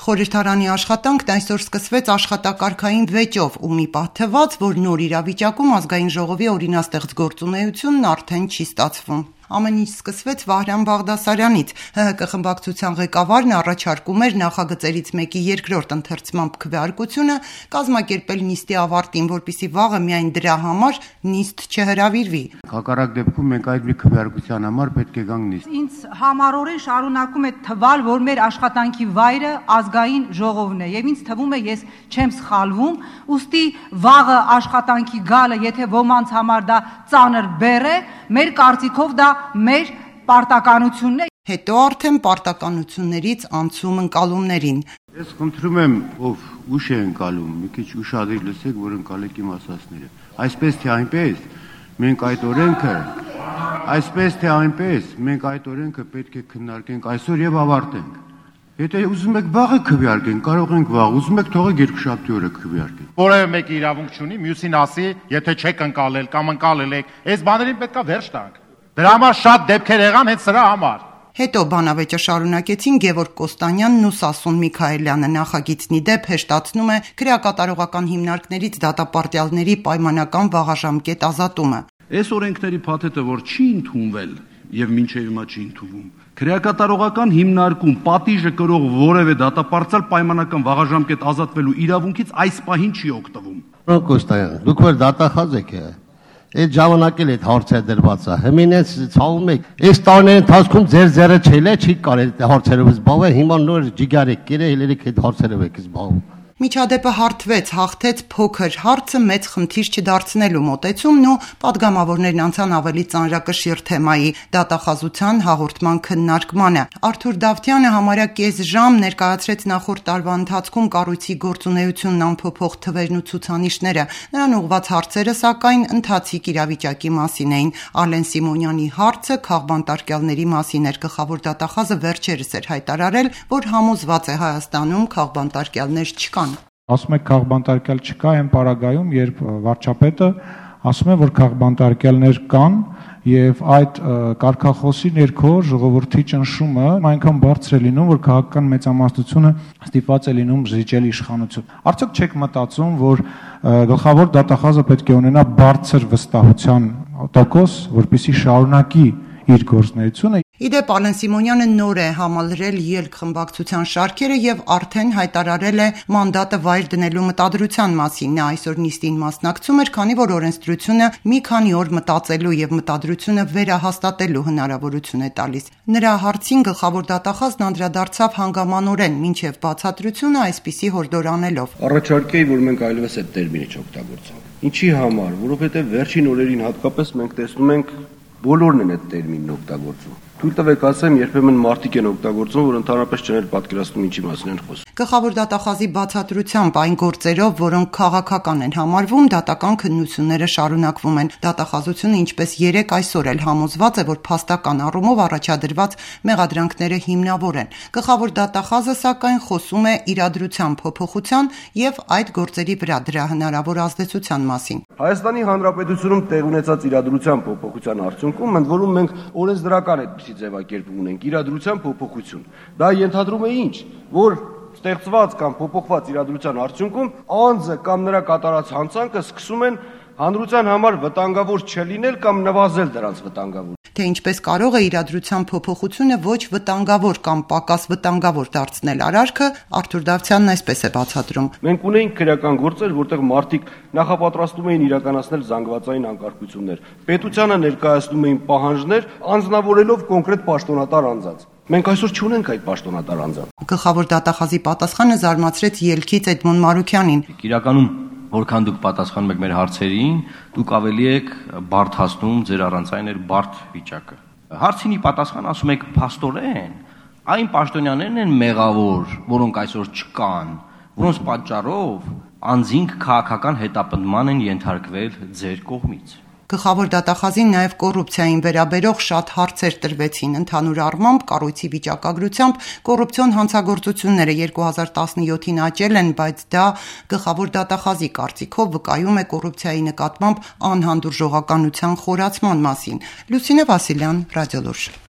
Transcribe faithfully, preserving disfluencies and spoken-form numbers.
Խորհրդարանի աշխատանքն այսօր սկսվեց աշխատակարգային վեճով ու մի պահ թվաց, որ նոր իրավիճակում ազգային ժողովի օրինաստեղծ գործունեությունն արդեն չի ստացվում։ Ամեն ինչ սկսվեց Վահրամ Բաղդասարյանից։ ՀՀԿ խմբակցության ղեկավարն առաջարկում էր նախագծերից մեկի երկրորդ ընթերցմամբ քվեարկությունը կազմակերպել նիստի ավարտին, որպեսզի վաղը միայն դրա համար նիստ չհրավիրվի։ Հակառակ դեպքում մենք այդ մի քվեարկության համար պետք է գանք նիստ։ Ինձ համառորեն շարունակում է թվալ, որ մեր աշխատանքի վայրը ազգային ժողովն է, եւ ինձ թվում է ես չեմ սխալվում, ուստի վաղը աշխատանքի գալը, եթե ոմանց համար դա ծանր բեռ է, մեր կարծիքով դա մեր պարտականությունն է։ Հետո արդեն պարտականություններից անցում ընկալումներին։ Ես խնդրում եմ, ով ուշ է ընկալում, մի քիչ ուշադիր լսեք, որ ընկալեք իմ ասածները։ Այսպես թե այնպես, մենք այդ օրենքը, այսպես թե այնպես, մենք այդ օրենքը պետք է քննարկենք այսօր եւ ավարտենք։ Եթե ուզում եք վաղը քվեարկենք, կարող ենք վաղ, ուզում եք թողեք երկուշաբթի օրը քվեարկենք։ Որևէ մեկը իրավունք չունի մյուսին ասի, եթե չեք ընկալել կամ ընկալել եք, այս բաներին պետքա վերջ տանք։ Դրա համար շատ դեպքեր եղան հենց սրա համար։ Հետո բանավեճը շարունակեցին Գևորգ Կոստանյանն ու Սասուն Միքայելյանը։ Նախագիծնի դեպ հեշտացնում է քրեակատարողական հիմնարկներից դատապարտյալների պայմանական վաղաժամկետ ազատումը։ Այս օրենքների փաթեթը, որ չի ընդունվել եւ մինչեւ հիմա չի ընդունվում, քրեակատարողական հիմնարկում պատիժը կրող որևէ դատապարտյալ պայմանական վաղաժամկետ ազատվելու իրավունքից այս պահին չի օգտվում։ Պարոն Կոստանյան, դուք որ դատախազ եք, այդ ժամանակել այդ հարցերը դրված է։ Հիմինես ցավում եք։ Այս տարիների ընթացքում ձեր ձեռը չել է, չի կարել այդ հարցերով զբաղվել, հիմա նոր ջիգար եք կերել, ելերեք այդ հարցերով եք զբաղվում։ Միջադեպը հարթվեց, հաղթեց փոքր հարցը մեծ խնդիր չդարձնելու մոտեցումն ու պատգամավորներն անցան ավելի ծանրակշիռ թեմայի՝ դատախազության հաղորդման քննարկմանը։ Արթուր Դավթյանը համարյա կես ժամ ներկայացրեց նախորդ տարվա ընթացքում կառույցի գործունեությունն ամփոփող թվերն ու ցուցանիշները։ Նրան ուղղված հարցերը, սակայն, ընթացիկ իրավիճակի մասին էին։ Ալեն Սիմոնյանի հարցը քաղբանտարկյալների մասին էր։ Գլխավոր դատախազը վերջերս էր հայտարարել, որ համոզված է Հայաստանում քաղբանտարկյալներ չկան։ Ասում եք քաղբանտարկյալ չկա այն պարագայում, երբ վարչապետը ասում է, որ քաղբանտարկյալներ կան եւ այդ կարգախոսի ներքո ժողովրդի ճնշումը այնքան բարձր է լինում, որ քաղաքական մեծամասնությունը ստիպված է լինում զիջել իշխանություն։ Արդյոք չեք մտածում, որ գլխավոր դատախազը պետք է ունենա բարձր վստահության տոկոս, որպեսզի շարունակի իր գործունեությունը։ Իդեպ Ալեն Սիմոնյանը նոր է համալրել ելք խմբակցության շարքերը եւ արդեն հայտարարել է մանդատը վայր դնելու մտադրության մասին։ Նա այսօր նիստին մասնակցում էր, քանի որ օրենսդրությունը մի քանի օր մտածելու եւ մտադրությունը վերահաստատելու հնարավորություն է տալիս։ Նրա հարցին գլխավոր դատախազն անդրադարձավ հանգամանորեն, մինչեւ բացատրությունը այսպիսի հորդոր անելով։ Առաջարկեի, որ մենք այլևս այդ տերմինը չօգտագործենք։ Ինչի համար, որովհետեւ վերջին օրերին հատկապես մենք տեսնում ենք բոլորն են այդ տերմինն օգտագործում։ Թույլ տվեք ասեմ, երբեմն մարդիկ են օգտագործում, որ ընդհանրապես չեն պատկերացնում ինչի մասին են խոսում։ Գլխավոր դատախազի բացատրությամբ այն գործերով, որոնք քաղաքական են համարվում, դատական քննությունները շարունակվում են։ Դատախազությունը ինչպես երեք այսօր էլ համոզված է, որ փաստական առումով առաջադրված մեղադրանքները հիմնավոր են։ Գլխավոր դատախազը սակայն խոսում է իրադրության փոփոխության եւ այդ գործերի վրա դրա հնարավոր ազդեցության մասին։ Հայաստանի Հանրապետությունում տեղ ունեցած իրադրության փոփոխության արդյունքում ընդ որում մենք օրենսդրական այդպիսի ձևակերպում ունենք իրադրության փոփոխություն։ Դա ենթադրում է ինչ, որ ստեղծված կամ փոփոխված իրադրության արդյունքում անձը կամ նրա կատարած հանցանքը սկսում են հանրության համար վտանգավոր չլինել կամ նվազել դրանց վտանգավոր։ Թե ինչպես կարող է իրադրության փոփոխությունը ոչ վտանգավոր կամ պակաս վտանգավոր դարձնել արարքը, Արթուր Դավթյանն այսպես է բացատրում։ Մենք ունեինք քրեական գործեր, որտեղ մարդիկ նախապատրաստում էին իրականացնել զանգվածային անկարգություններ։ Պետությանը ներկայացնում էին պահանջներ, անձնավորելով կոնկրետ պաշտոնատար անձանց։ Մենք այսօր չունենք այդ պաշտոնատար անձանց։ Գլխավոր դատախազի պատասխանը զարմացրեց ելքից Էդմոն Մարուքյանին։ Իրականում որքան դուք պատասխանում եք մեր հարցերին, դուք ավելի եք բարդացնում ձեր առանցային էր բարդ վիճակը։ Հարցինի պատասխան ասում եք փաստորեն, այն պաշտոնյաներն են մեղավոր, որոնք այսօր չկան, որոնց պատճառով անձինք քաղաքական հետապնդման են ենթարկվել ձեր կողմից։ Գլխավոր դատախազին նաև կոռուպցիային վերաբերող շատ հարցեր տրվեցին։ Ընդհանուր առմամբ կառույցի վիճակագրությամբ կոռուպցիոն հանցագործությունները երկու հազար տասնյոթին աճել են, բայց դա գլխավոր դատախազի կարծիքով վկայում է կոռուպցիայի նկատմամբ անհանդուրժողականության խորացման մասին։ Լուսինե Վասիլյան, Ռադիոլուրջ։